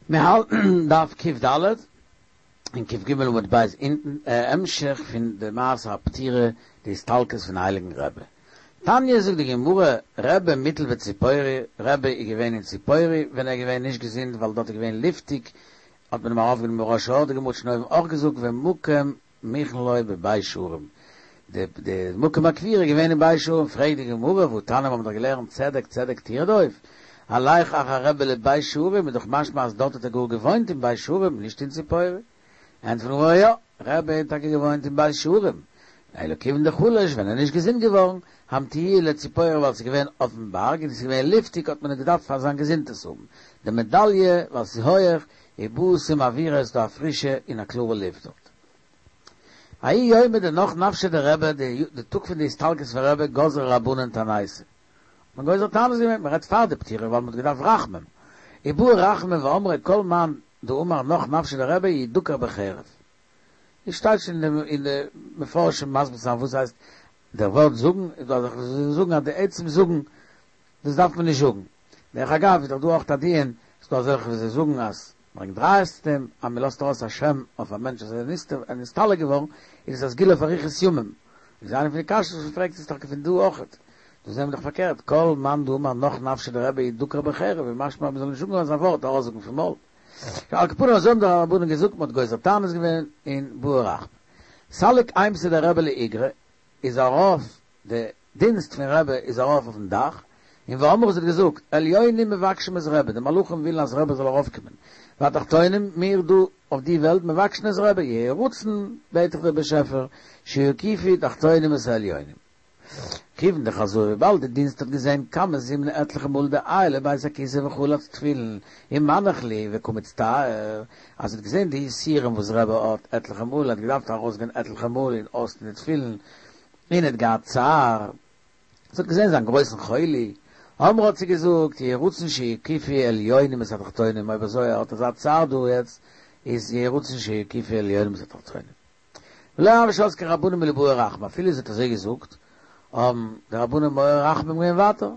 מיר האלטן דף קד און קג עמוד ב' אונטן, המשך פון די מעשה הפטירה די הסתלקות פון הייליגן רבי. תניא זאגט די גמרא, רבי מוטל בציפורי, רבי איז געווען אין ציפורי ווען ער איז געווען נישט געזונט ווייל דארט איז געווען לופטיג האט מען אים ארויפגענומען בראש ההר, די גמרא האט שוין אויבן אויך געזאגט ומקום מוכן לו בבית שערים, די די מקום הקבורה איז געווען אין בית שערים, פרעגט די גמרא והתניא מיר האבן דאך געלערנט צדק צדק תרדוף, הלך אחר רבי לבית שערים איז דאך משמע אז דארט האט ער גאר געוואוינט אין בית שערים נישט אין ציפורי, ענטפערט די גמרא יא, רבי האט טאקע געוואוינט אין בית שערים, אלא כיוון דחלש ווען ער איז נישט געזונט געווארן, המטיוהו לציפורי ווייל ס'איז געווען אויפן בארג און ס'איז געווען לופטיג האט מען עס געדארפט פאר זיין געזונט עס האבן, דמדליא ווייל ס'איז הויעך, ובתים אוירא איז דא א פרישע און א קלארע לופט דארט. ההוא יומא דנח נפשיה דרבי, די טאג פון די הסתלקות פון רבי גזרו רבנן תעניתא. האט מען גוזר תענית געווען, מען רעדט פאר די פטירה ווייל מען האט געדארפט רחמים. ובעו רחמים ואמרי כל מאן דאמר נח נפשיה דרבי ידוקר בחרב. עס שטייט שוין אין די מפרשים מסביר זיין וואס הייסט דער ווארט זאגן, איז דא אזעלכע וואס זאגן אז די עצם זאגן דאס דארף מען נישט זאגן. דרך אגב איז דאך דא אויך א דיון, ס'דא אזעלכע וואס זיי זאגן אז ברענגט ראיות צו דעם אז מען לאזט ארויס א שם אויף א מענטש אז ער איז נסתלק געווארן, איז עס א סגולה פאר אריכות ימים. איז איינע פון די קשיות וואס מען פרעגט איז טאקע פון דא אויכעט. דא זעהן מיר דאך פארקערט, כל מאן דאמר נח נפשיה דרבי ידוקר בחרב, איז משמע אז מען זאל נישט זאגן אזא ווארט ארויסזאגן פון מויל. על כל פנים אזוי האבן די רבנן געזאגט, מען האט גוזר תענית געווען און בעו רחמי. סליק אימתא דרבי לאיגרא איז ארויף די דינסט פון רבי איז ארויף אויפן דאך, און ואמרה זי האט געזאגט, עליונים מבקשים את רבי, די מלאכים ווילן אז רבי זאל ארויפקומען, והתחתונים, מיר דא אויף די וועלט, מבקשין את רבי, יהי רצון, בעט איך דיר באשעפער, שיקיפו תחתונים את העליונים. כיוון דחזאי וויבאלד די דינסט האט געזען כמה זימני עטליכע מאל דעייל לבית הכסא וחלץ תפילין ומנח להו וקא מצטער, אז זי האט געזען די יסורים וואס רבי האט עטליכע מאל, ער האט געדארפט ארויסגיין עטליכע מאל און אויסטון די תפילין, און האט געהאט צער, זי האט געזען זיין גרויסן חולי, אמרה האט זי געזאגט, יהי רצון שיקיפו עליונים את התחתונים, אויב אזוי ער האט אזא צער דא יעצט, איז יהי רצון שיקיפו עליונים את התחתונים. ולא הוו שבקי רבנן מלבעי רחמי, אפילו זי האט אזוי געזאגט, האבן די רבנן מעורר רחמים געווען ווייטער.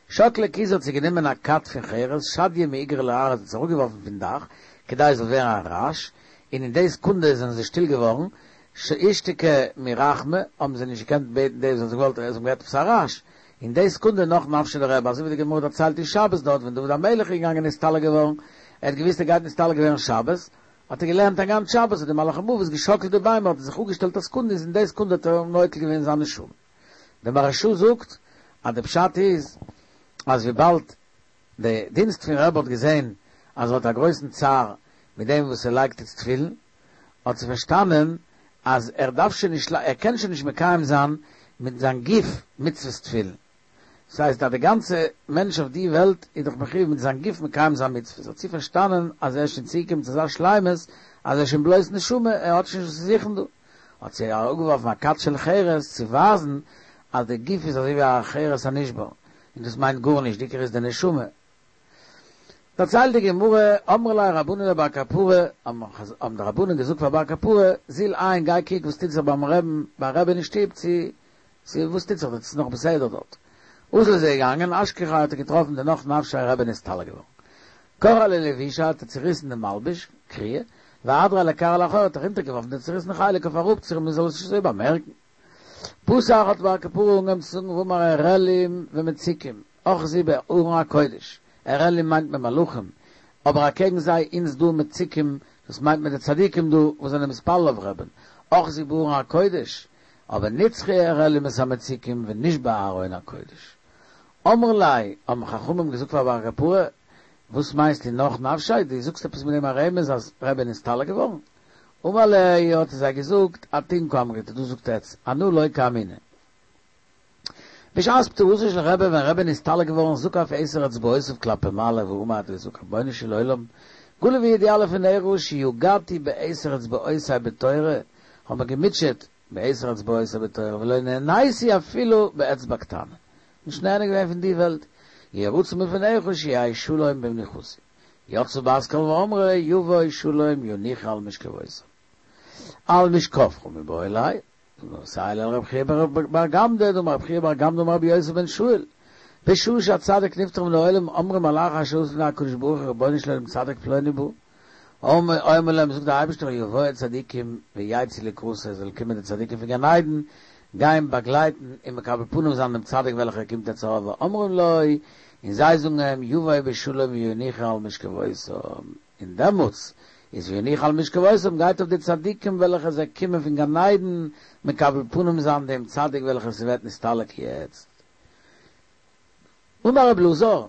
שקלה כיזא האט זי גענומען א כד פון חרס, שדיא מאיגרא לארעא האט עס אראפגעווארפן פון דאך, כדי עס זאל ווערן א רעש, און אין די סעקונדע זענען זיי שטיל געווארן, אישתיקו מרחמי, האבן זיי נישט געקענט בעטן דאס וואס זיי האבן געוואלט, זיי האבן געהערט עפעס א רעש, אין די סעקונדע נח נפשיה דרבי, אזוי ווי די גמרא דערציילט אין שבת דארט ווען דוד המלך איז געגאנגען נסתלק געווארן, ער האט געוואוסט ער גייט נסתלק ווערן שבת, האט ער געלערנט א גאנץ שבת, האט די מלאך המוות געשאקלט די ביימער, האט ער זיך אפגעשטעלט א סעקונדע, איז אין די סעקונדע האט ער נוטל געווען זיין נשמה. דער מהרש"א זאגט אז די פשט איז אז וויבאלד די דינסט פון רבי האט געזען אז ער האט א גרויסן צער מיט דעם וואס ער לייגט איצט תפילין, האט זי פארשטאנען אז ער דארף שוין נישט ער קען שוין נישט מקיים זיין מיט זיין גוף מצוות תפילין. דאס הייסט אז די גאנצע מענטש אויף די וועלט איז דאך מחויב מיט זיין גוף מקיים זיין מצוות, האט זי פארשטאנען אז ער איז שוין צוגעקומען צו אזא שלימות אז ער איז שוין בלויז נשמה, ער האט שוין נישט וואס צו זוכן דא. האט זי אראפגעווארפן א כד של חרס צו ווייזן אז די גוף איז אזוי ווי א חרס הנשבר, און דאס מיינט גארנישט, די עיקר איז די נשמה. דערציילט די גמרא, אמרי ליה רבנן לבר קפרא, האבן די רבנן געזאגט פאר בר קפרא, זיל עיין, גיי קוק וואס טוט זיך ביים רעבן, ביים רעבען אין שטוב, צו צו וואס טוט זיך דארט, ס'איז נאך בסדר דארט. אזל איז ער געגאנגען, אשכחיה האט ער געטראפן דנח נפשיה רבי נסתלק געווארן. קרע ליה לבושיה האט ער צוריסן דעם מלבוש, קריעה, ואהדריה לכרעא לאחוריה האט ער אונטערגעווארפן די צוריסן חלק אויף אראפ צו מ'זאל עס נישט אזוי באמערקן. פתח האט בר קפרא אנגעהויבן צו זאגן ואמר ערלים ומציקים, אחזו בארון הקודש, ערלים מיינט מען מלאכים, אבער אקעגן זיי אונז דא מציקים, דאס מיינט מען די צדיקים דא וואס זענען מתפלל אויף רעבען, אחזו בארון הקודש, אבער נצחו הערלים את המציקים ונשבה ארון הקודש. אמרו ליה, האבן חכמים געזאגט פאר בר קפרא, וואס מיינסטו נח נפשיה, דו זאגסט עפעס מיט דעם א רמז אז רבי איז נסתלק געווארן? אמר להו, האט ער זיי געזאגט, אתון קאמריתו, דאס זאגט עטץ, אנא לא קאמינא. בשעת פטירתו של רבי, ווען רבי איז נסתלק געווארן, זקף עשר אצבעותיו כלפי מעלה ואמר האט ער געזאגט, רבונו של עולם, גלוי וידוע לפניך שיגעתי בעשר אצבעותי בתורה, כ'האב מיר געמוטשעט בעשר אצבעותי בתורה ולא נהניתי אפילו באצבע קטנה, נישט נהנה געווען פון די וועלט, יהי רצון מלפניך שיהא שלום במנוחתי. יצאה בת קול ואמרה יבוא שלום ינוחו על משכבותם. על משכבך מיבעי ליה, מסייע ליה לרב חייא בר גמדא, דאמר רב חייא בר גמדא אמר רבי יוסף בן שאול. בשעה שהצדיק נפטר מן העולם אומרים מלאכי השרת לפני הקדוש ברוך הוא רבונו של עולם צדיק פלוני בא, אומר להם זאגט דער אייבערשטער יבואו צדיקים ויצאו לקראתו עס זאל קומען די צדיקים פון גן עדן גיין באגלייטן און מקבל פנים זיין דעם צדיק וועלכער קומט יעצט ארויף ואומרים לו און זיי זאגן אים יבוא בשלום וינוחו על משכבותם און דעמאלטס איז וינוחו על משכבותם גייט אויף די צדיקים וועלכע זיי קומען פון גן עדן מקבל פנים זיין דעם צדיק וועלכער ס'ווערט נסתלק יעצט. אמר רבי אלעזר,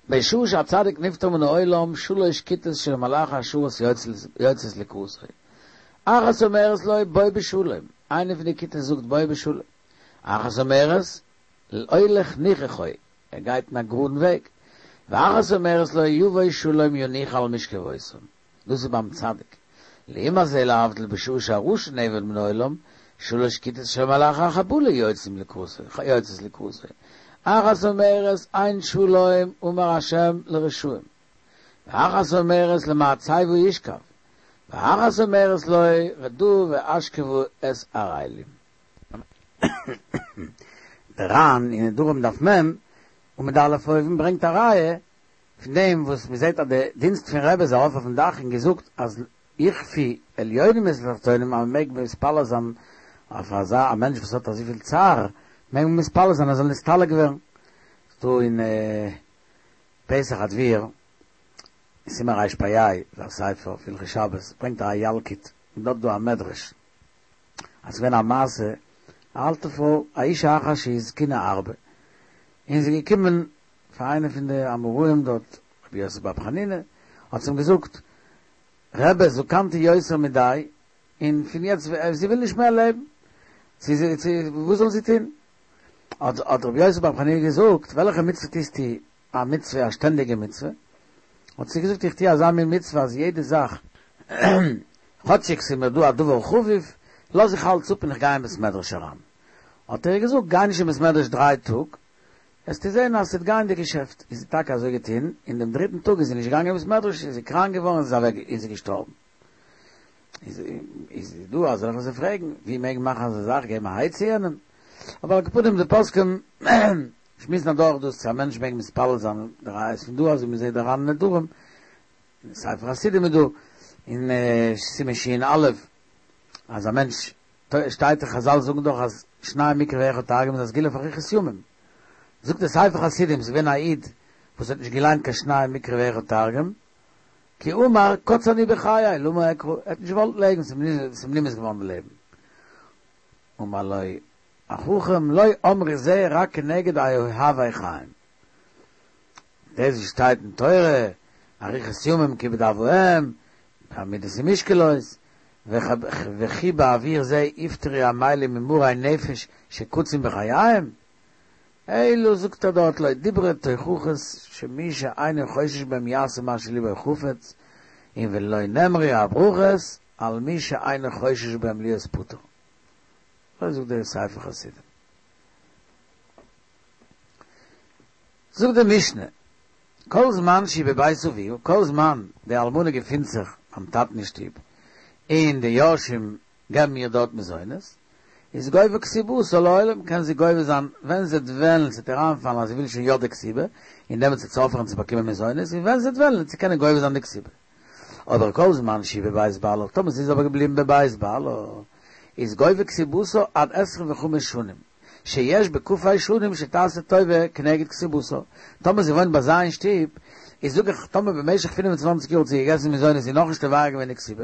בשעה שהצדיק נפטר מן העולם שלש כיתות של מלאכי השרת יוצאות לקראתו, אחת אומרת לו בוא בשלום, איינע פון די כיתות זאגט בוא בשלום, אחת אומרת הולך נכחו, ער גייט אין א גראדן וועג, ואחת אומרת לו יבוא שלום ינוחו על משכבותם, דאס איז ביים צדיק, לעומת זה להבדיל בשעה שהרשע נאבד מן העולם, שלש כיתות של מלאכי החבלה יוצאים לקראתו, יוצאות לקראתו, אחת אומרת אין שלום אמר השם לרשעים, ואחת אומרת למצבה ישכב, ואחת אומרת לו רדו והשכיבו את הערלים. דער ר"ן אין נדרים דף מ' עמוד א' אויבן ברענגט א ראיה פון דעם וואס מען זעט אז די דינסט פון רבי איז ארויף אויפן דאך און געזאגט אז יכפו עליונים את התחתונים אז מען מעג מתפלל זיין אויף אזא א מענטש וואס האט אזויפיל צער מעג מען מתפלל זיין ער זאל נסתלק ווערן. ס'דא אין פתח הדביר אין סימן רפ"ה איז א ספר אויף הלכות שבת ברענגט ער א ילקוט און דארט איז דא א מדרש אז ס'געווען א מעשה א אלטע פרוי א אישה אחת שהזקינה הרבה און זי איז געקומען פאר איינע פון די אמוראים דארט, רבי יוסי בר חנינא, האט זי אים געזאגט, רבי זקנתי יותר מדי, און פון יעצט, זי וויל נישט מער לעבן, צו זי, צו, וואס זאל זי טון? האט האט רבי יוסי בר חנינא געזאגט, וועלכע מצוה טוסטו, א מצוה, א שטענדיגע מצוה? האט זי געזאגט, איך טו אזא מין מצוה אז יעדע זאך, כאטשיג ס'איז מיר דא א דבר חביב, לאז איך אלץ אפ און איך גיי אין בית מדרש אריין. האט ער איר געזאגט, גיי נישט אין בית מדרש דריי טאג, וועסטו זען אז ס'וועט גיין די געשעפט. איז זי טאקע אזוי געטון, און דעם דריטן טאג איז זי נישט געגאנגען אין בית מדרש, איז זי קראנק געווארן און איז אוועק און זי געשטארבן. איז איז דא אזעלכע וואס פרעגן, ווי מעג מען מאכן אזא זאך, געבן א עצה יענעם? אבער על כל פנים די פוסקים שמועסן אדורך דאס צו א מענטש מעג מתפלל זיין, די ראיה איז פון דא אזוי מ'זעט די ר"ן נדרים, אין ספר חסידים איז דא אין סימן ש"א אז א מענטש שטייט דאך חזל זאגן דאך אז שנים מקרא ואחד תרגום איז א סגולה פאר אריכות ימים. זאגט דער ספר חסידים ס'איז געווען א איד וואס האט נישט געליינט קיין שנים מקרא ואחד תרגום, כי אמר קוץ אני בחיי למה אקרא, ער האט נישט געוואלט לעבן ס'איז אים נמאס געווארן די לעבן. אמר לו החכם לא אמרו זה רק כנגד אוהבי חיים. דאס וואס שטייט אין תורה אריכות ימים כיבוד אב ואם, בעמידות ומשקלות, וכי בעבור זה יפטרו עמלים ממרי נפש שקצים בחייהם? אלא זאגט ער דארט לא דברי תוכחות שמי שאינו חושש בהם יעשה מה שליבו חפץ, און ולא נאמרו הברכות על מי שאינו חושש בהם להיות פטור. אזוי זאגט דער ספר חסידים. זאגט די משנה, כל זמן שהיא בבית אביה, כל זמן די אלמנה געפינט זיך ביים טאטן אין שטוב, און די יורשים געבן איר דארט מזונות, איז גובה כתובתה לעולם, קען זי גובה זיין ווען זי וועט וועלן, ס'וועט איר איינפאלן אז זי וויל שוין יא די כתובה, און דעמאלטס וועט זי אויפהערן צו באקומען מזונות, און ווען זי וועט וועלן וועט זי קענען גובה זיין די כתובה. אבער כל זמן שהיא בבית בעלה, טאמער זי איז אבער געבליבן בבית בעלה, איז גובה כתובתה עד עשרים וחמש שנים, שיש בכ"ה שנים שתעשה טובה כנגד כתובתה, טאמער זי וואוינט ביי זיי אין שטוב, איז זאג איך, טאמער במשך פינף און צוואנציג יאר האט זי געגעסן מזונות און נאכנישט תובע געווען די כתובה,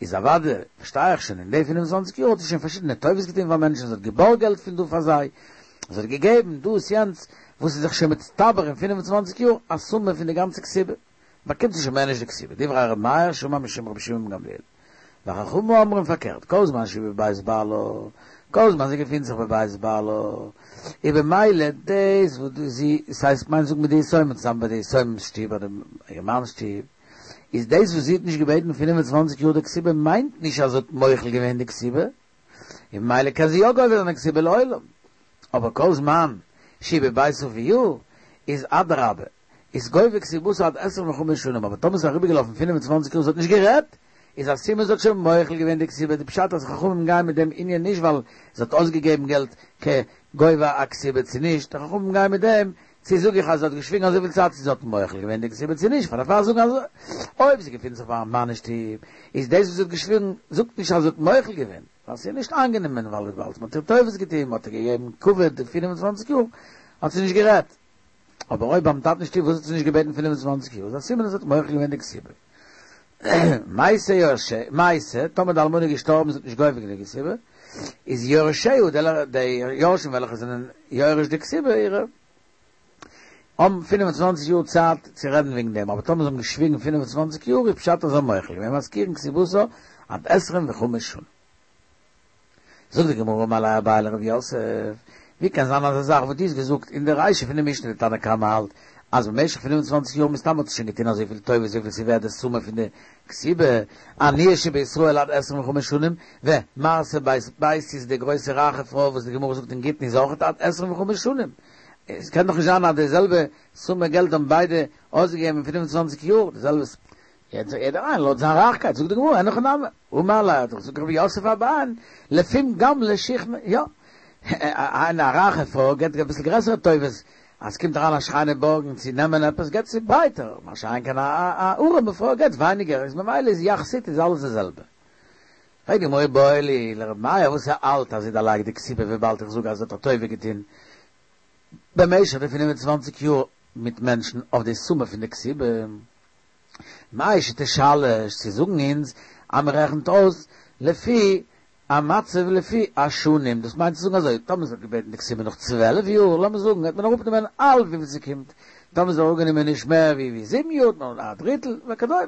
איז אוודאי, פארשטיי איך שוין, אין די פינף און צוואנציג יאר האט זי שוין פארשידענע טובות געטון פאר מענטשן, זי האט געבארגט געלט פון דא פאר זיי, זי האט געגעבן דאס יענץ, וואס איז זיך שוין מצטבר אין פינף און צוואנציג יאר א סומע פון די גאנצע כתובה. באקומט זי שוין מער נישט די כתובה, דברי ר' מאיר שאמר משום רבי שמעון בן גמליאל. וחכמים אומרים פארקערט, כל זמן שהיא בבית בעלה, כל זמן זי געפינט זיך בבית בעלה, איז במילא דאס וואס זי, ס'הייסט מיינט זאגן מיט די יתומים צוזאמען ביי די יתומים'ס שטוב אדער איר מאנ'ס שטוב, איז דאס וואס זי האט נישט געבעטן פינף און צוואנציג יאר די כתובה מיינט נישט אז זי האט מוחל געווען די כתובה, און במילא קען זי יא גובה זיין די כתובה לעולם. אבער כל זמן שהיא בבית אביה, איז אדרבה, איז גובה כתובתה עד עשרים וחמש שנים, אבער טאמער ס'איז אריבערגעלאפן פינף און צוואנציג יאר זי האט נישט גערעדט, איז א סימן זי האט שוין מוחל געווען די כתובה, די פשט אז חכמים גייען מיט דעם ענין נישט ווייל זי האט אויסגעגעבן געלט כ. גובה א כתובה צו נישט, די חכמים גייען מיט דעם, צו זאג איך אז זי האט געשוויגן אזויפיל צייט צו זי האט מוחל געווען די כתובה צו נישט, פאר דערפאר זאגן אז אויב זי געפינט זיך ביים מאן אין שטוב איז דאס וואס זי האט געשוויגן זאגט נישט אז זי האט מוחל געווען, ווייל ס'איז נישט איינגענומען ווייל וויבאלד מ'האט איר טובות געטון, מ'האט איר געגעבן כבוד די 25 יאר האט זי נישט גערעדט. אבער אויב ביים טאטן אין שטוב וואס האט זי נישט געבעטן 25 יאר איז א סימן אז זי האט מוחל געווען די כתובה. מתה יורשיה, מתה, טאמער די אלמנה איז געשטארבן זי האט נישט גובה געווען די כתובה, איז יורשיה, די יורשים וועלכע זענען יורש די כתובה אירע, האבן 25 יאר צייט צו רעדן וועגן דעם, אבער טאמער זיי האבן געשוויגן 25 יאר איז פשט אז זיי האבן מוחל געווען, מזכירין כתובתה עד עשרים וחמש שנה. זאגט די גמרא אמר ליה אביי לרב יוסף, ווי קען זיין אזא זאך וואס דו האסט געזאגט אין די רישא פון די משנה די תנא קמא האלט אז במשך פינף און צוואנציג יאר מסתם האט זי שוין געטון אזויפיל טובות וויפיל ס'איז ווערט די סומע פון די כתובה, עניה שבישראל עד עשרים וחמש שנים, ומרתא בית ביתיס די גרויסע רייכע פרוי וואס די גמרא זאגט אין גיטין איז אויך עד עשרים וחמש שנים, עס קען דאך נישט זיין אז די זעלבע סומע געלט האבן ביידע אויסגעגעבן אין פינף און צוואנציג יאר, די זעלבע יעצט יעדער איין לויט זיין רייכקייט, זאגט די גמרא, אין הכי נמי, אמר ליה האט געזאגט רב יוסף אביי, לפום גמלא שיחנא, יא, איינע א רייכע פרוי געבט אביסל גרעסערע טובות, אז ס'קומט אריין א שכנה בארגן צו נעמען עפעס געבט זי ברייטער, מה שאין כן א ארעמע פרוי געבט ווייניגער, איז ממילא איז יחסית איז אלעס די זעלבע. פרעגט די גמרא איבעיא להו לר' מאיר וואס ער האלט אז זי דערלייגט די כתובה וויבאלד איך זאג אז זי האט א טובה געטון במשך די פינף און צוואנציג יאר מיט מענטשן אויף די סומע פון די כתובה. מהו שתשלש צו זאגן אונז אז מען רעכנט אויס לפי המצב לפי השנים, דאס מיינט צו זאגן אזוי, טאמער זי האט געבעטן די כתובה נאך 12 יאר, לאמיר זאגן, וועט מען אראפנעמען האלב וויפיל ס'קומט, טאמער זי האט אראפגענומען נישט מער ווי ווי זיבן יאר, נאר א דריטל, וכדומה.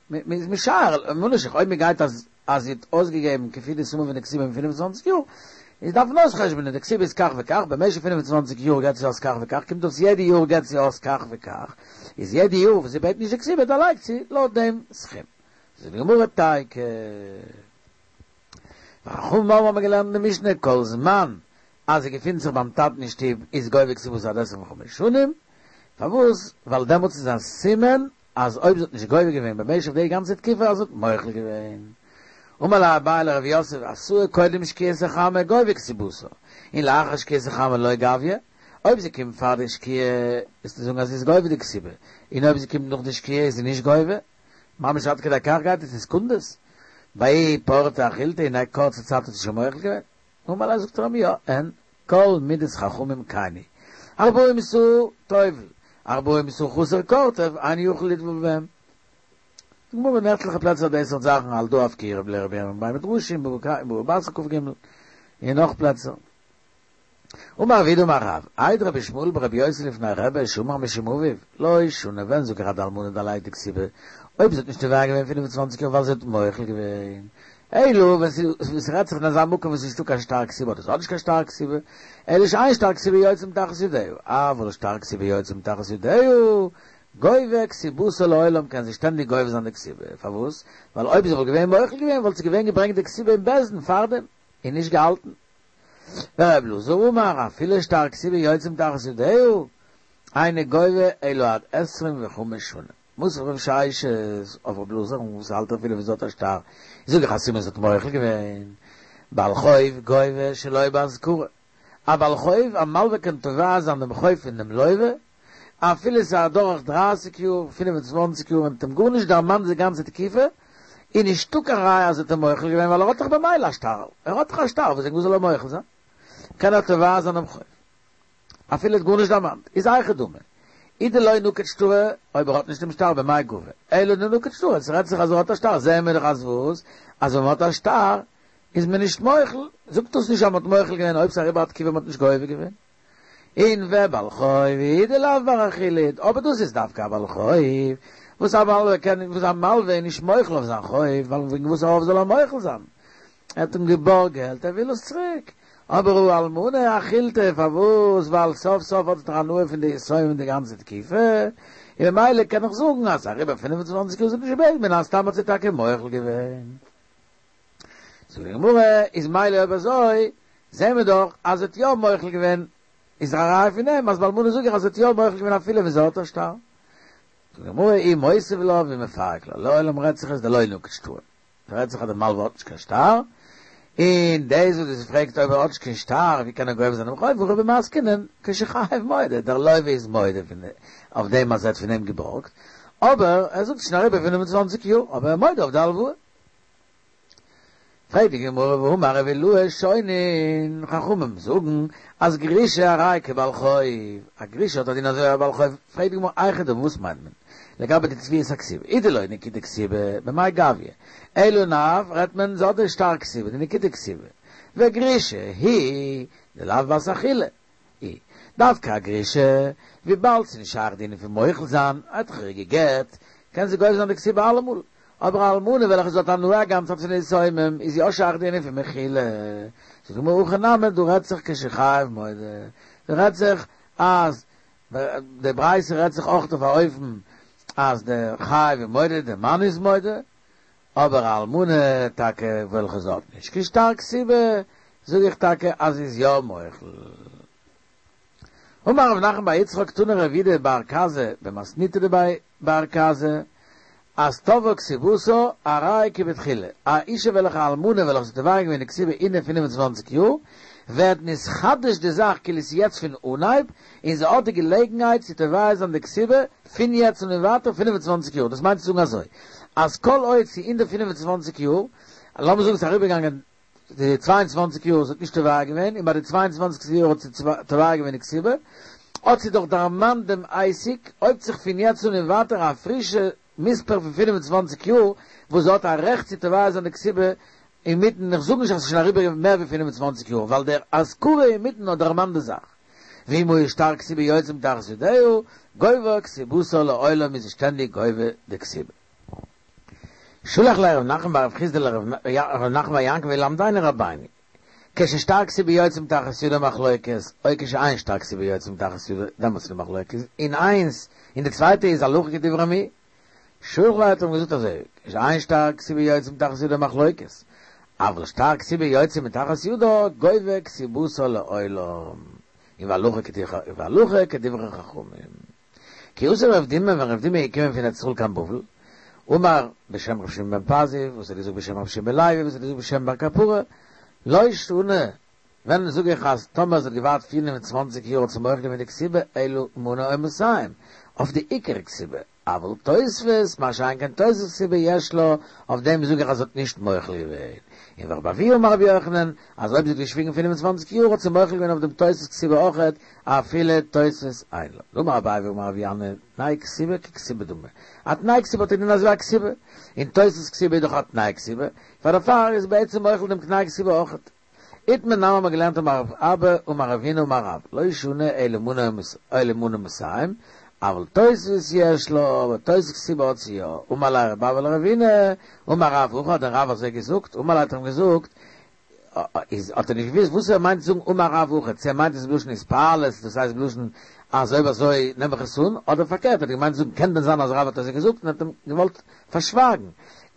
מען איז משער, ממה נפשך, אויב מען גייט אז אז זי האט אויסגעגעבן כפי די סומע פון די כתובה אין 25 יאר, איז דארף מען אויסחשבונען, די כתובה איז כך וכך, במשך 25 יאר געבט זי אויס כך וכך, קומט אויס יעדע יאר געבט זי אויס כך וכך, איז יעדע יאר וואס זי בעט נישט די כתובה דערלייגט זי לויט דעם סכום. זאגט די גמרא תיקו. וחכמים אומרים האבן געלערנט אין די משנה כל זמן אז זי געפינט זיך ביים טאטן אין שטוב איז גובה כתובתה עד עשרים וחמש שנים, פארוואס? ווייל דעמאלטס איז א סימן אז אויב זי האט נישט גובה געווען במשך די גאנצע תקופה אז זי האט מוחל געווען. אמר ליה אביי לרב יוסף אתאי קודם שקיעת החמה גובה כתובתה, און לאחר שקיעת החמה לא גביא, אויב זי קומט פאר די שקיעה איז צו זאגן אז זי איז גובה די כתובה, און אויב זי קומט נאך די שקיעה איז זי נישט גובה, ממש עד כדי כך גייט עס אין סעקונדעס. בההיא פורתא אחילתה אין א קורצע צייט האט זי שוין מוחל געווען. אמר ליה זאגט ער אים יא, אין כל מידת חכמים כן היא. ארבעים סאה טובל, ארבעים סאה חסר קורטב, אינו יכול לטבול בהם. די גמרא אין עטליכע פלעצער די סארט זאכן על דא אף כי לרבי ירמיה בבי מדרשא בבא בתרא כ"ג און נאך פלעצער. אמר רב יהודה אמר רב, העיד רבי ישמעאל ברבי יוסי לפני רבי שאמר משום אביו, לא שנו ווען זאג איך אז די אלמנה דערלייגט די כתובה, אויב זי האט נישט תובע געווען 25 יאר ווייל זי האט מוחל געווען, אלא ווען ס'רעדט זיך אין אזא מקום וואס ס'נישטא קיין שטר כתובה אדער ס'האט נישט קיין שטר כתובה, אלא שאין שטר כתובה יוצא מתחת ידיה, אבל שטר כתובה יוצא מתחת ידיה, גובה כתובתה לעולם קען זי שטענדיג גובה זיין די כתובה, פארוואס? ווייל אויב זי וואלט געווען מוחל געווען וואלט זי געווען געברענגט די כתובה אין בית דין פארדעם, און נישט געהאלטן. ור' אלעזר אמר, אפילו שטר כתובה יוצא מתחת ידיה, אינו גובה אלא עד עשרים וחמש שנה. מתיב רב ששת אויף ר' אלעזר וואס האלט אפילו ווען זי האט א שטר, זאג איך א סימן זי האט מוחל געווען. בעל חוב גובה שלא בהזכרה. א בעל חוב, א מלווה קען תובע זיין דעם חוב פון דעם לווה, אפילו ס'איז אדורך דרייסיג יאר, פינף און צוואנציג יאר און האט אים גארנישט דערמאנט די גאנצע תקופה, איז נישטא קיין ראיה אז ער האט אים מוחל געווען ווייל ער האט דאך במילא א שטר, ער האט דאך א שטר וואס וועגן וואס זאל ער מוחל זיין? קען ער תובע זיין דעם חוב אפילו ער האט גארנישט דערמאנט, איז היכי דמי אי דלא נקט שטרא, אויב ער האט נישט דעם שטר במאי גבי, אלא דנקט שטרא, ס'רעדט זיך אז ער האט א שטר, זעהן מיר דאך אז וואס? אז ווען מ'האט א שטר איז מען נישט מוחל, זאגט דאס נישט אז מ'האט מוחל געווען אויב ס'איז אריבער א תקופה מ'האט נישט גובה געווען. און ובעל חוב הוא דלאו בר אחילת, אבער דאס איז דווקא א בעל חוב, וואס א מלווה קען, וואס א מלווה איז נישט מוחל אויף זיין חוב, ווייל וועגן וואס אויף זאל ער מוחל זיין? ער האט אים געבארגט געלט, ער וויל עס צוריק. אבער הא אלמנה אחילתה, פארוואס? ווייל סוף סוף האט זי דאך הנאה פון די יתומים די גאנצע תקופה, און ממילא קען איך זאגן אז אריבער 25 יאר זי האט נישט געבעטן, מן הסתם האט זי טאקע מוחל געווען. זאגט די גמרא, איז מילא אויב אזוי, זעהן מיר דאך אז זי האט יא מוחל געווען, איז דאך א ראיה פון דעם אז ביי אלמנה זאג איך אז זי האט יא מוחל געווען אפילו ווען זי האט א שטר. זאגט די גמרא, אי מותיב לה ואי מפרק לה, לעולם רעדט זיך עס דלא נקט שטרא, ס'רעדט זיך אז די מלווה האט נישט קיין שטר, און דאס וואס דו פרעגסט אויב ער האט נישט קיין שטר ווי קען ער גובה זיין דעם חוב, הכא במאי עסקינן כשחייב מודה, דער לוה איז מודה אויף דעם אז ער האט פון אים געבארגט, אבער ער זאגט ס'איז שוין אריבער 25 יאר, אבער ער איז מודה אויף די הלוואה. פרעגט די גמרא והאמר רבי אילעא שונין, חכמים זאגן אז גרושה הרי כבעל חוב, א גרושה האט א דין אזוי ווי א בעל חוב, פרעגט די גמרא היכי דמי וואס מיינט מען לגבי די תביעת הכתובה, אי דלא נקיטה כתובה במאי גביא, אלא לאו רעדט מען זי האט די שטר כתובה, די נקיטה כתובה, וגרושה היא דלאו בת אכילה היא, דווקא א גרושה, וויבאלד ס'איז נישט שייך די ענין פון מוחל זיין, ער האט דאך איר גע'גט, קען זי גובה זיין די כתובה אלעמאל, אבער א אלמנה וועלכע זי האט הנאה א גאנצע צייט פון די יתומים, איז יא שייך די ענין פון מחילה. זאגט די גמרא הכא נמי, דא רעדט זיך כשחייב מודה, דא רעדט זיך אז די ברייתא רעדט זיך אויך אויף א אופן אז דער חייב איז מודה, דער מאן איז מודה, אבער א אלמנה טאקע וועלכע זי האט נישט קיין שטר כתובה, זאג איך טאקע אז זי איז יא מוחל. אמר רב נחמן בר יצחק תנא רב יהודה בר כזא במתניתא דבי בר כזא אז תבעה כתובתה הרי כבתחילה, א אישה וועלכע א אלמנה וועלכע זי האט תובע געווען די כתובה אין די 25 יאר, ווערט נתחדש די זאך כאילו ס'איז יעצט פון אנהייב, און זי האט די געלעגנהייט צו תובע זיין די כתובה פון יעצט און ווייטער 25 יאר, דאס מיינט צו זאגן אזוי, אז כל עוד ס'איז אין די 25 יאר, לאמיר זאגן ס'איז אריבערגעגאנגען די 22 יאר זי האט נישט תובע געווען, און ביי די 22 יאר האט זי תובע געווען די כתובה, האט זי דאך דערמאנט דעם עסק, הויבט זיך פון יעצט אן און ווייטער א פרישע מספר פון 25 יאר וואס זי האט א רעכט צו תובע זיין די כתובה אינמיטן, איך זאג נישט אז ס'איז שוין אריבער מער ווי 25 יאר, ווייל דער הזכרה אינמיטן האט דערמאנט די זאך. ואם היה שטר כתובה יוצא מתחת ידיה, גובה כתובתה לעולם איז זי שטענדיג גובה די כתובה. שלח ליה רב נחמן בר רב חסדא לרב נחמן בר יעקב ילמדנו רבינו, כששטר כתובה יוצא מתחת ידה מחלוקת, או כשאין שטר כתובה יוצא מתחת ידה, דעמאלטס איז די מחלוקת, און איינס, און די צווייטע איז הלכה כדברי מי. שלח ליה האט אים געזאגט אזוי, כשאין שטר כתובה יוצא מתחת ידה מחלוקת, אבל שטר כתובה יוצא מתחת ידה, גובה כתובתה לעולם, און והלכה כדברי חכמים. כי אתא רב דימי ווען רב דימי איז געקומען פון ארץ ישראל קיין בבל, אמר בשם רב שמעון בן פזי, וואס האט געזאגט בשם רב שמעון בן לוי, וואס האט געזאגט בשם בר קפרא, לא שנו, ווען זאג איך אז טאמער זי האט געווארט 25 יאר האט זי מוחל געווען די כתובה אלא מנה או מאתים, אויף די עיקר כתובה, אבל תוספת, מה שאין כן תוספת כתובה יש לה, אויף דעם זאג איך אז זי האט נישט מוחל געווען. און ורבי אבהו אמר רבי יוחנן, אז אויב זי האט געשוויגן 25 יאר האט זי מוחל געווען אויף דעם תוספת כתובה אויכעט, אפילו תוספת אין לה. אמר אביי ואמר רב ינאי, תנאי כתובה ככתובה דמי. א תנאי כתובה האט א דין אזוי ווי א כתובה. און תוספת כתובה איז דאך א תנאי כתובה, פאר דערפאר איז בעצם מוחל דעם תנאי כתובה אויכעט. איתמר נמי האט מען געלערנט אמר רב אבא אמר רב הונא אמר רב, לא שנו אלא מנה אלא מנה מאתים, אבל תוספת יש לה, אבער תוספת כתובה האט זי יא. אמר ליה רב אבא לרב הונא, אמר רב הכי האט דען רב אזוי געזאגט? אמר ליה האט ער אים געזאגט, איז האט ער נישט געוואוסט וואס ער מיינט צו זאגן אמר רב הכי, צו ער מיינט עס בלשון התפעלות, דאס הייסט בלשון אז אויב אזוי נעם איך עס אן, אדער פארקערט האט ער געמיינט צו זאגן קען דען זיין אז רב האט אזוי געזאגט און האט אים געוואלט פארשווייגן.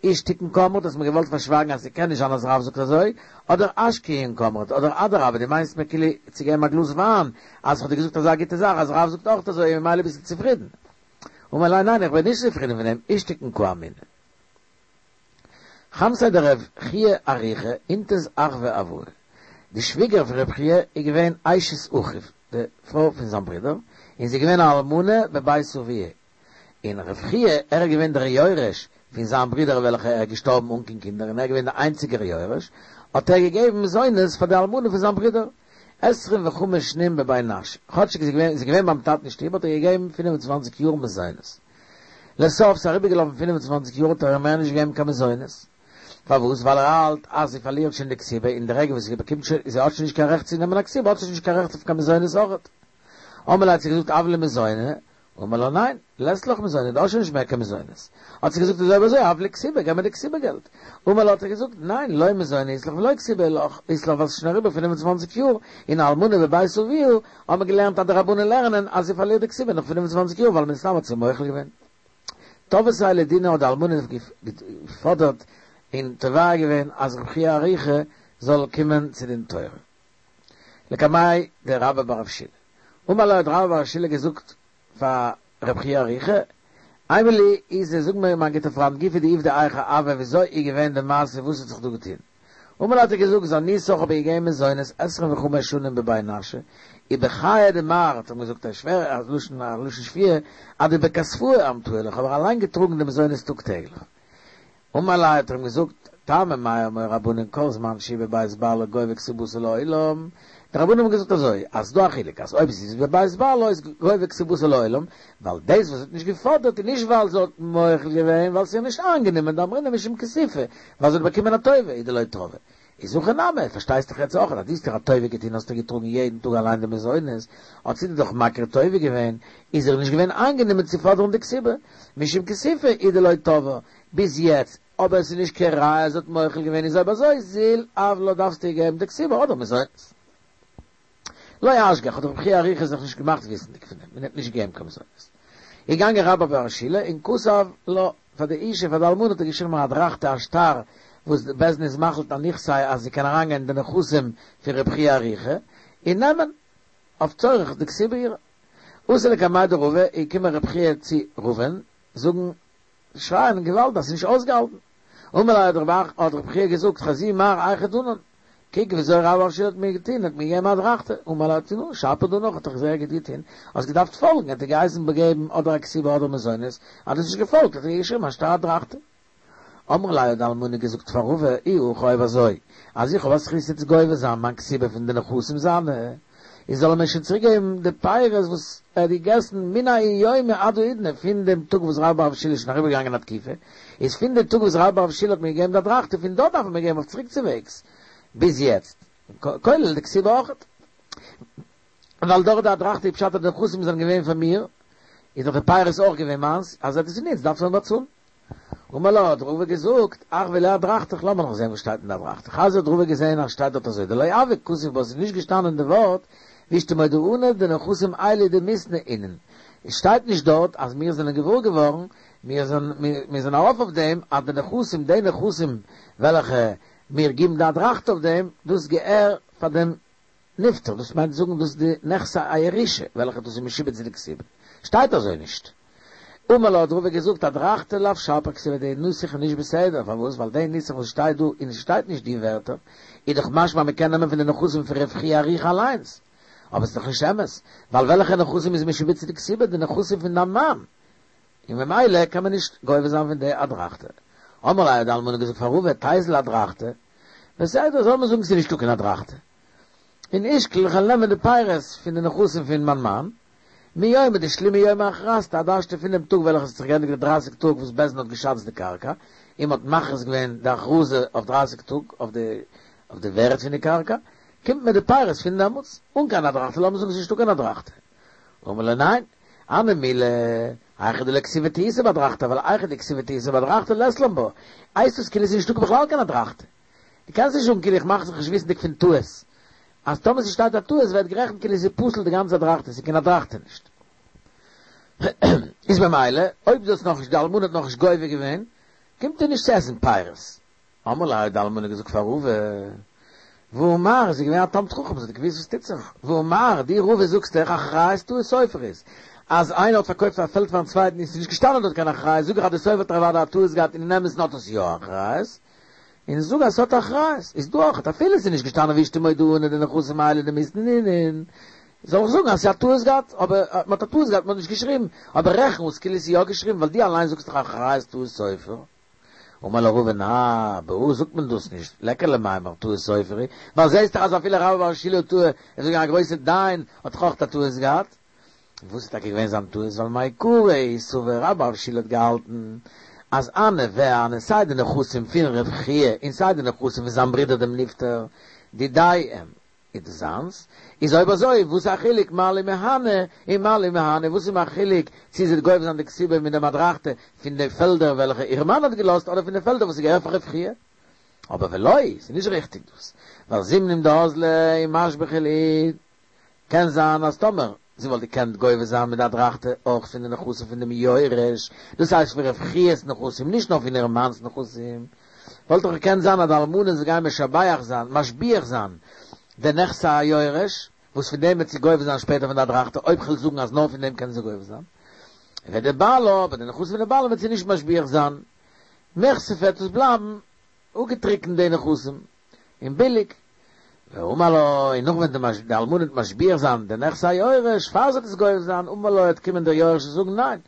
אישתיקן קאמרת האסט מיר געוואלט פארשווייגן אז ס'קען נישט זיין אז רב זאגט אזוי, אדער אשקיין קאמרת, אדער אדרבה דו מיינסט מיר כאילו צו געבן א גלאז וויין אז כ'האב דיר געזאגט אזא גוטע זאך אז רב זאגט אויך אזוי און ממילא ביסטו צופרידן. אמר ליה ניין איך בין נישט צופרידן פון דעם אישתיקן קאמינא. חמתיה דרב חייא אריכא אינתת אחוה אבוה, די שוויגער פון רב חייא איז געווען אשת אחיו, די פרוי פון זיין ברודער, און זי איז געווען א אלמנה בבית אביה, און רב חייא ער איז געווען דער יורש פון זיין ברודער וועלכע ער איז געשטארבן אן קיין קינדער און ער איז געווען דער איינציגער יורש, האט ער געגעבן מזונות פאר די אלמנה פון זיין ברודער, עשרים וחמש שנין בבי נשא, כאטשיג זי איז געווען ביים טאטן אין שטוב האט ער געגעבן 25 יאר מזונות. לסוף ס'איז אריבערגעלאפן 25 יאר האט ער איר מער נישט געגעבן קיין מזונות. פארוואס? ווייל ער האלט אז זי פארלירט שוין די כתובה און די רגע וואס זי באקומט שוין, זי האט שוין נישט קיין רעכט צו נעמען א כתובה האט זי שוין נישט קיין רעכט אויף קיין מזונות אויכעט. אמר ליה האט זי געזאגט הב לי מזוני, אמר לה ניין, לית לך מזוני, דו האסט שוין נישט מער קיין מזונות. האט זי געזאגט איז אויב אזוי הב לי כתובה, געב מיר די כתובה געלט. אמר לה האט ער געזאגט ניין, לא מזוני אית לך ולא כתובה אית לך ווייל ס'איז שוין אריבער 25 יאר, און אלמנה בבית אביה האט מען געלערנט אז די רבנן לערנען אז זי פארלירט די כתובה נאך 25 יאר ווייל מן הסתם האט זי מוחל געווען. תבעתיה לדינא האט די אלמנה געפאדערט און תובע געווען אז רב חייא אריכא זאל קומען צו דין תורה. לקמיה דרבה בר רב שילא. אמר ליה האט רבה בר רב שילא געזאגט פאר רב חייא אריכא, אימא לי איזי זאג מיר מיין גוטע פריינט גופא דעובדא היכי הוה וויאזוי איז געווען די מעשה וואס האט זיך דא געטון? אמר ליה האט ער געזאגט זניתך האב איך געגעבן מזונות עשרים וחמש שנים בבי נשא, ובחיי דמר האט ער אים געזאגט א שווער א לשון א לשון שפויה אדבכספאי אמטאי לך האב איך אליין געטראגן די מזונות טאג טעגליך. אמר ליה האט ער אים געזאגט טעמא מאי אמור רבנן כל זמן שהיא בבית בעלה גובה כתובתה לעולם, די רבנן האבן געזאגט אזוי אז ס'דא א חילוק אז אויב זי איז בבית בעלה איז גובה כתובתה לעולם, ווייל דאס וואס זי האט נישט געפאדערט איז נישט ווייל זי האט מוחל געווען ווייל ס'איז איר נישט איינגענומען דאמרינן משום כיסופא ווייל זי האט באקומען א טובה הוא דלא תבעה איז הכא נמי, פארשטייסט דאך יעצט אויך אז דו האסט איר א טובה געטון האסטו געטראגן יעדן טאג אליין די מזונות, האט זי דיר דאך מכיר טובה געווען, איז איר נישט געווען איינגענומען צו פאדערן די כתובה, משום כיסופא הוא דלא תבעה, ביז יעצט, אבער עס איז נישט קיין ראיה אז זי האט מוחל געווען איז אויב אזוי זיל הב לה דארפסטו איר געבן די כתובה אדער מזונות. לא אשגח האט רבי חייא אריכא זיך נישט געמאכט וויסנדיג פון דעם און האט נישט געגעבן קיין מזונות. איז געגאנגען רבה בר שילא און כתב לה פאר די אישה פאר די אלמנה האט ער געשריבן א אדרכתא א שטר וואס די בית דין איז מחליט על נכסי אז זי קען אריינגיין אין די נכסים פון רבי חייא אריכא און נעמען אויף צורך די כתובה אירע. אתא לקמיה דרבא איז געקומען רבי חייא צו רבא'ן זאגן שרייען געוואלד אז ס'איז נישט אויסגעהאלטן. אמר ליה האט רב האט רבי חייא געזאגט חזי מר היכי דנן, קוק וויאזוי רבה בר שילא האט מיר געטון, האט מיר געגעבן א אדרכתא, אמר ליה נו, שפיר דנך האט דאך זייער גוט געטון, האסט געדארפט פאלגן, האט ער געהייסן געבן אדער א כתובה אדער מזונות, אז דו האסט נישט געפאלגט האט ער געשריבן א שטר אדרכתא. אמרה ליה האט די אלמנה געזאגט פאר רבא, אי הכי אויב אזוי אז איך האב א זכות יעצט גובה זיין מיין כתובה פון די נכסים זיינע, איז זאל ער מיר שוין צוריק געבן די פירות וואס ער האט געגעסן מן ההוא יומא עד האידנא, פון דעם טאג וואס רבה בר שילא איז שוין אריבער געגאנגען א תקופה, איז פון די טאג וואס רבה בר שילא האט מיר געגעבן די אדרכתא פון דארט דארף ער מיר געבן אויף צוריקצווועגס ביז יעצט, כולל די כתובה אויכעט. ווייל דורך די אדרכתא איז פשט אז די נכסים זענען געווען פאר מיר, איז דאך די פירות אויך געווען מיינס, אז ער האט עס גענוצט דארף ער מיר באצאלן. אמר לה, האט רבא געזאגט, אחוי לי אדרכתך, לאמיר נאך זען וואס שטייט אין די אדרכתא. חזי האט רבא געזען אז שטייט דארט אזוי, דלא הוה כתיב בה, ס'איז נישט געשטאנען די ווארט, ואשתמודענא דנכסים אלו דמיתנא אינון. עס שטייט נישט דארט אז מיר זענען געוואר געווארן, מיר מיר זענען ארויף אויף דעם אז די נכסים, די נכסים וועלכע מיר גיבן די אדרכתא אויף דעם, דאס געהער פאר דעם נפטר, דאס מיינט זאגן דאס די נכסי הירושה וועלכע דאס איז משועבד צו די כתובה, שטייט אזוי נישט. אמר לה האט רבא געזאגט אדרכתא לאו שפיר כתיבא די נוסח איז נישט בסדר, פארוואס ווייל די נוסח וואס שטייט דא און עס שטייט נישט די ווערטער איז דאך משמע מען קען נעמען פון די נכסים פון רב חייא אריכא אליינס, אבער עס איז דאך נישט אמת, ווייל וועלכע נכסים איז משועבד צו די כתובה, די נכסים פון דיין מאן, און ממילא קען מען נישט גובה זיין פון די אדרכתא. אמרה ליה האט די אלמנה געזאגט פאר רבא תיזיל אדרכתא, בסדר זאל מען זאגן ס'איז נישטא קיין אדרכתא, און אישקול איך וועל נעמען די פירות פון די נכסים פון מיין מאן, מיומא דשלימו יומי הכרזתא עד השתא פון דעם טאג וועלכע ס'האט זיך געענדיגט די דרייסיג טאג וואס בית דין האט געשאצט די קרקע, און מ'האט מכריז געווען די הכרזה אויף דרייסיג טאג אויף די אויף די ווערד פון די קרקע, קומט מיר די פירות פון דעמאלטס, אן קיין אדרכתא, לאמיר זאגן ס'איז נישטא קיין אדרכתא. אמר ליה ניין, הני מילי, היכא דלא כתיבא טעותא באדרכתא, ווייל היכא דכתיבא טעותא באדרכתא לית לן בה, הייסט עס כאילו ס'איז נישטא בכלל קיין אדרכתא. דו קענסט נישט זאגן כאילו איך מאך זיך נישט וויסנדיג פון טעות, אז טאמער ס'שטייט א טעות ווערט גערעכנט כאילו ס'איז פסול די גאנצע אדרכתא, ס'איז קיין אדרכתא נישט. איז ממילא אויב דו האסט נאכנישט די אלמנה האט נאכנישט גובה געווען, קומט איר נישט צו עסן פירות. אמרה ליה האט די אלמנה געזאגט פאר רבא, והא מר, זי איז געווען א תלמיד חכם, זי האט געוואוסט וואס טוט זיך, והא מר, דו רבא זאגסט דאך אחריות טעות סופר איז, אז איינער האט פארקויפט א פעלד פארן צווייטן און ס'איז נישט געשטאנען דארט קיין אחריות, זאג איך אז די סופר האט אוודאי א טעות געהאט און אין אמת'ן האט עס יא אחריות, און זאג אז ס'האט אחריות, איז דא אויך, אפילו ס'איז נישט געשטאנען ואשתמודענא דנכסים אלו דמיתנא אינון, זאל איך זאגן אז ס'איז א טעות געהאט, אבער מ'האט א טעות געהאט מ'האט נישט געשריבן, אבער רעכן אויס כאילו ס'איז יא געשריבן, ווייל דו אליין זאגסט דאך אחריות טעות סופר. אמר לה רבא נא, בהא זאגט מען דאס נישט, ליכא למימר טעות סופר היא, ווייל זעהסט דאך אז אפילו רבה בר שילא טעה, ער איז געווען א גרויסע דיין, האט דאך אויך א טעות געהאט. וואס איז טאקע געווען זיין טעות? ווייל מעיקרא סבר רבה בר שילא האט געהאלטן אז הני והני סיי די נכסים פון רב חייא און סיי די נכסים פון זיין ברודער דעם נפטר דידיה הם איז דאס זיינס, איז אויב אזוי וואס א חילוק מה לי מהני און מה לי מהני, וואס איז מיר א חילוק צו זי וועט גובה זיין די כתובה מיט דעם אדרכתא פון די פעלדער וועלכע איר מאן האט געלאזט אדער פון די פעלדער וואס איז געהערט פאר רב חייא? אבער ולא, ס'איז נישט ריכטיג דאס, ווייל זימנין דאזלא ומשבחא להו, קען זיין אז טאמער זי וואלט געקענט גובה זיין מיט די אדרכתא אויך פון די נכסים פון דעם יורש, דאס הייסט פון רב חיא'ס נכסים, נישט נאר פון איר מאנ'ס נכסים, וואלט דאך געקענט זיין אז די אלמנה זאל גיין משבח זיין, משביח זיין, די נכסי היורש, וואס פון דעם וועט זי גובה זיין שפעטער פון די אדרכתא, אויב כ'וועל זאגן אז נאר פון דעם קען זי גובה זיין. ודבעלה, אבער די נכסים פון די בעלה וועט זי נישט משביח זיין. מיכסיפי וועט עס בלייבן אפגעטריקנט די נכסים. און ביליג. ואמר לה, און נאך ווען די אלמנה וועט משביח זיין די נכסי היורש, פאר זי וועט עס גובה זיין, אמר לה, וועט קומען דער יורש און זאגן, ניין,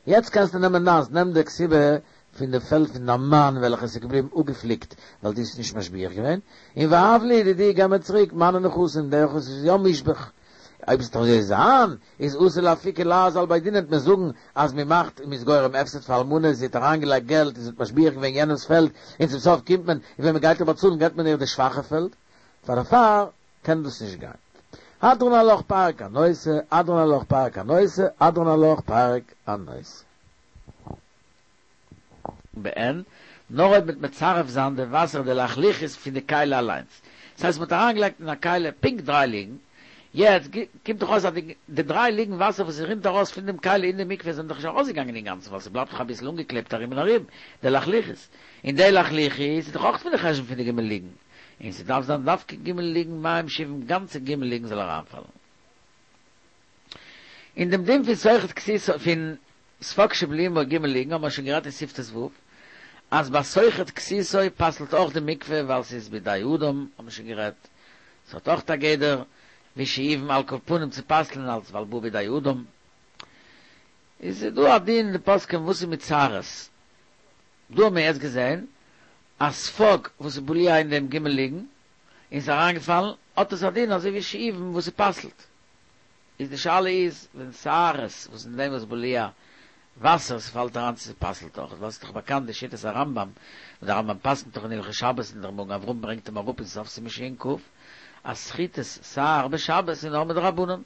יעצט קענסטו נעמען דיינס, נעם די כתובה פון די פעלד פון דיין מאן וועלכע עס איז געבליבן אפגעפליקט ווייל דו האסט נישט משביח געווען, און והב לי לידידי, געב מיר צוריק מיינע נכסים, די וואס איז יא מושבח. אויב עס וועט אזוי זיין, איז אתי לאפוקי לעז על בי דינא וועט מען זאגן אז מען מאכט און מען איז גורם הפסד פאר אלמנה, זי האט אריינגעלייגט געלט און זי האט משביח געווען יענעמס פעלד, און צום סוף קומט מען און ווען מען גייט איר באצאלן געבט מען איר די שוואכע פעלד, פאר דערפאר קען דאס נישט גיין. הדרן עלך פרק הנושא, הדרן עלך פרק הנושא, הדרן עלך פרק הנושא. בעין, נאר אויב מ'וועט מצרף זיין די וואסער די לחלוחית פון די כלי אליינס. דאס הייסט מ'האט אריינגעלייגט אין א כלי פונקט דריי לוגין, יעצט קומט דאך אויס אז די דריי לוגין וואסער וואס רינט ארויס פון דעם כלי אין די מקווה זענען דאך נישט ארויסגעגאנגען אינגאנצן ווייל ס'בלייבט דאך אביסל אנגעקלעבט ארום און ארום די לחלוחית, און די לחלוחית איז דאך אויך פון די חשבון פון די ג' לוגין, און ס'דארף זיין דווקא ג' לוגין מים שאובים גאנצע ג' לוגין זאל אריינפאלן. אין דעם דין פון סוחט כסותו פון ספוג שבלועין בו ג' לוגין האבן מיר שוין גערעדט אין סעיף ט"ו אז ביי סוחט כסותו פסל'ט אויך די מקווה ווייל ס'איז בידי אדם האבן מיר שוין גערעדט ס'האט אויך א גדר ווי שאובין על כל פנים צו פסל'ן אלס ווייל בא בידי אדם איז דא א דין אין די פוסקים וואס איז מיט שערות דא האבן מיר יעצט געזען א ספוג וואס איז בלוע אין דעם ג' לוגין און ס'איז אריינגעפאלן האט עס א דין אזוי ווי שאובין וואס ס'פסל'ט. איז די שאלה איז ווען שערות וואס אין דעם וואס בלוע וואסער ס'פאלט אריין צו ס'פסל'ט אויך ווייל ס'איז דאך באקאנט די שיטת הרמב"ם וואס די רמב"ם פסק'נט דאך אין הלכות שבת און דער מגן אברהם ברענגט אים אראפ אין סוף סימן ש"כ אז סחיטת שער בשבת איז נאר מדרבנן און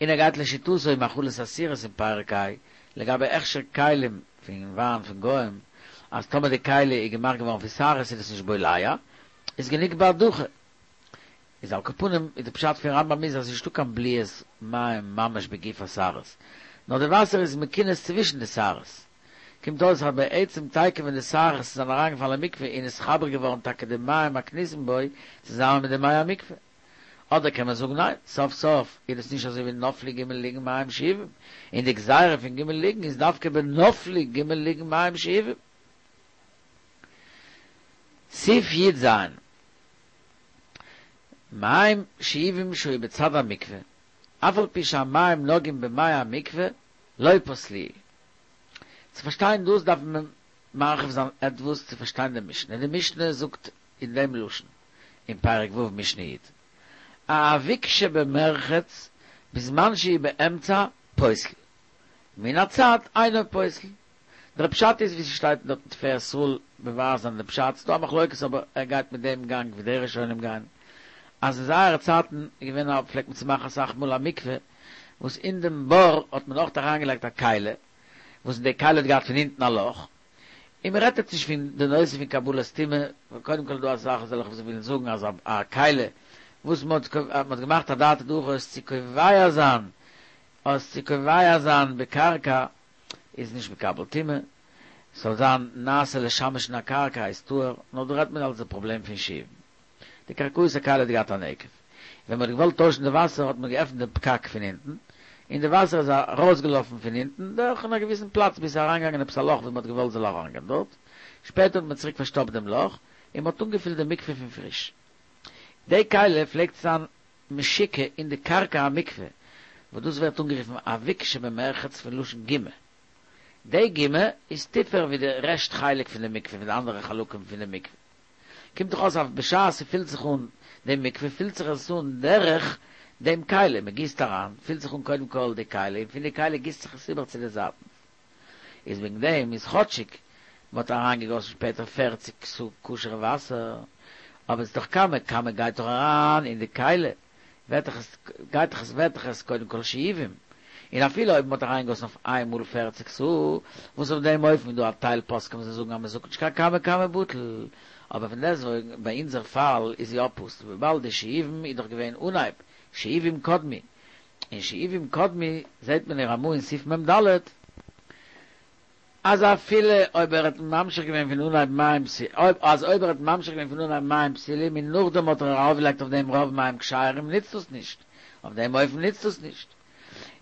ער גייט לשיטתו אין מאכלות אסורות אין פרק ה' לגבי הכשר כלים פון וויין פון גוים אז טאמער די כלי איז געמאכט געווארן פון שערות איז עס נישט בולע איז גענוג בהדחה. איז על כל פנים איז די פשט פון רמב"ם איז אז ס'נישטא קיין בליעת מים ממש בגוף השערות, נאר די וואסער איז מכונס צווישן די שערות. קומט אויס אז בעצם תיכף ווען די שערות זענען אריינגעפאלן אין מקווה איז נתחבר געווארן טאקע די מים הכנוסים בו צוזאמען מיט די מי המקווה. אדער קען מען זאגן ניין, סוף סוף איז דאס נישט אזוי ווי נפלו ג' לוגין מים שאובים, און די גזירה פון ג' לוגין איז דווקא בנפלו ג' לוגין מים שאובים. סעיף י"ז. מים שאובים שהיו בצד המקווה, אף על פי שהמים נוגעים במי המקווה, לא פסלוהו. צו פארשטיין דאס דארף מען מרחיב זיין עטוואס צו פארשטיין די משנה. די משנה זאגט אין דעם לשון, אין פרק ו' משנה י', האביק שבמרחץ בזמן שהוא באמצע פוסל, מן הצד אינו פוסל. דער פשט איז ווי ס'שטייט דארט אין תפארת ישראל מבאר זיין דעם פשט, ס'דא א מחלוקת אבער ער גייט מיט דעם גאנג ווי די ראשונים גייען, אז אין זייערע צייטן איז געווען א פלעגט מען צו מאכן אסאך מאל א מקווה וואס אין דעם בור האט מען אויך אריינגעלייגט א כלי, וואס אין די כלי האט געהאט פון אונטן א לאך, און מען רעדט יעצט נישט פון די נושא פון קבלת טומאה, ווייל קודם כל איז דא אסאך אזעלכע וואס ווילן זאגן אז א כלי וואס מען האט געמאכט אדעתא דהכי עס צו קובע זיין עס צו קובע זיין בקרקע איז נישט מקבל טומאה, ס'זאל זיין נעשה לשמש אין א קרקע איז טהור, נאר דא רעדט מען אלס די פראבלעם פון שאובין. די קרקעית הכלי האט געהאט א נקב. ווען מ'האט געוואלט טוישן די וואסער האט מען געעפנט דעם פקק פון אונטן, און די וואסער איז ארויסגעלאפן פון אונטן דורך אין א געוויסן פלאץ ביז ס'איז אריינגעגאנגען עפעס א לאך וואו מ'האט געוואלט זאל אריינגיין דארט. שפעטער האט מען צוריק פארשטאפט דעם לאך, און מ'האט אנגעפילט די מקווה פון פריש. די כלי פלעגט זיין משוקע אין די קרקע המקווה, וואס דאס ווערט אנגערופן אביק שבמרחץ פון לשון גומא. די גומא איז טיפער ווי די רעשט חלק פון די מקווה פון די אנדערע חלקים פון די מקווה. קומט דאך אויס אז בשעת ס'פילט זיך אן די מקווה פילט זיך עס אן דורך דעם כלי, מ'גיסט אריין, פילט זיך אן קודם כל די כלי און פון די כלי גיסט זיך עס איבער צו די זייטן. איז וועגן דעם איז כאטשיג מ'האט אריינגעגאסן שפעטער פערציג סאה כשר'ע וואסער, אבער ס'איז דאך כמה כמה גייט דאך אריין אין די כלי, ווערט דאך עס גייט דאך עס ווערט דאך עס קודם כל שאובים, און אפילו אויב מ'האט אריינגעגאסן אויף איין מאל פערציג סאה, וואס אויף דעם אופן איז דא א טייל פוסקים וואס זאגן אז מ'זאגט נישט קיין כמה כמה בטל, אבער פון דעסטוועגן ביי אונזער פאל איז יא פסול וויבאלד די שאובים איז דאך געווען אנהייב שאובים קדמו, און שאובים קדמו זעהט מען אין רמ"א אין סעיף מ"ד, אז אפילו אויב ער האט ממשיך געווען פון אנהייב מים אז אויב ער האט ממשיך געווען פון אנהייב מים פסולים און נאכדעם האט ער ארויפגעלייגט אויף דעם רוב מים כשרים נוצט דאס נישט, אויף דעם אופן נוצט דאס נישט,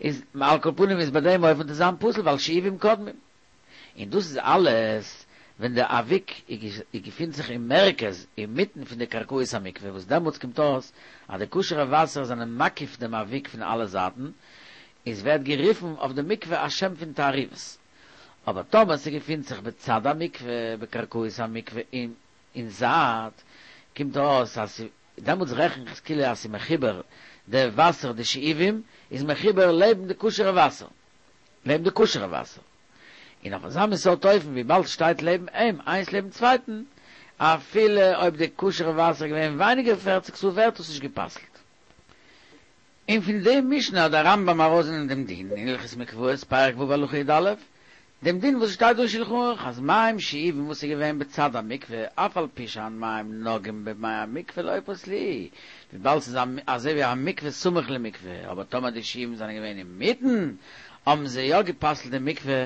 איז על כל פנים איז ביי דעם אופן וועט עס זיין פסול ווייל שאובים קודמים. און דאס איז אלעס. ווען די אביק געפינט זיך אין מרכז, אינמיטן פון די קרקעית המקווה, וואס דעמאלטס קומט אויס אז די כשר'ע וואסער זענען מקיף דעם אביק פון אלע זייטן, איז ווערט גערופן אויף די מקווה א שם פון תערובת. אבער טאמער ס'געפינט זיך בצד המקווה, בקרקעית המקווה אין אין זייט, קומט אויס אז דעמאלטס רעכן איך עס כאילו אז ס'איז מחובר, די וואסער די שאובים איז מחובר לעבן די כשר'ע וואסער, לעבן די כשר'ע וואסער. און אויף אזא מין סארט אופן וויבאלד ס'שטייט לעבן אים איינס לעבן צווייטן, אפילו אויב די כשר'ע וואסער איז געווען ווייניגער פערציג סאה ווערט עס נישט גע'פסל'ט. און פון די משנה האט דער רמב ם ארויסגענומען דעם דין אין הלכות מקוואות פרק ו' הלכה י א, דעם דין וואס שטייט דא אין שלחן ערוך אז מים שאובים וואס איז געווען בצד המקווה אף על פי שאין מים נוגעים במי המקווה לא פסלוהו, וויבאלד ס'איז אזוי ווי א מקווה סמוך למקווה, אבער טאמער די שאובים זענען געווען אינמיטן האבן זיי יא גע'פסל'ט די מקווה,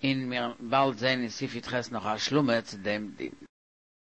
און מיר באלד זעהן אין סעיף י ח נאך א השלמה צו דעם דין.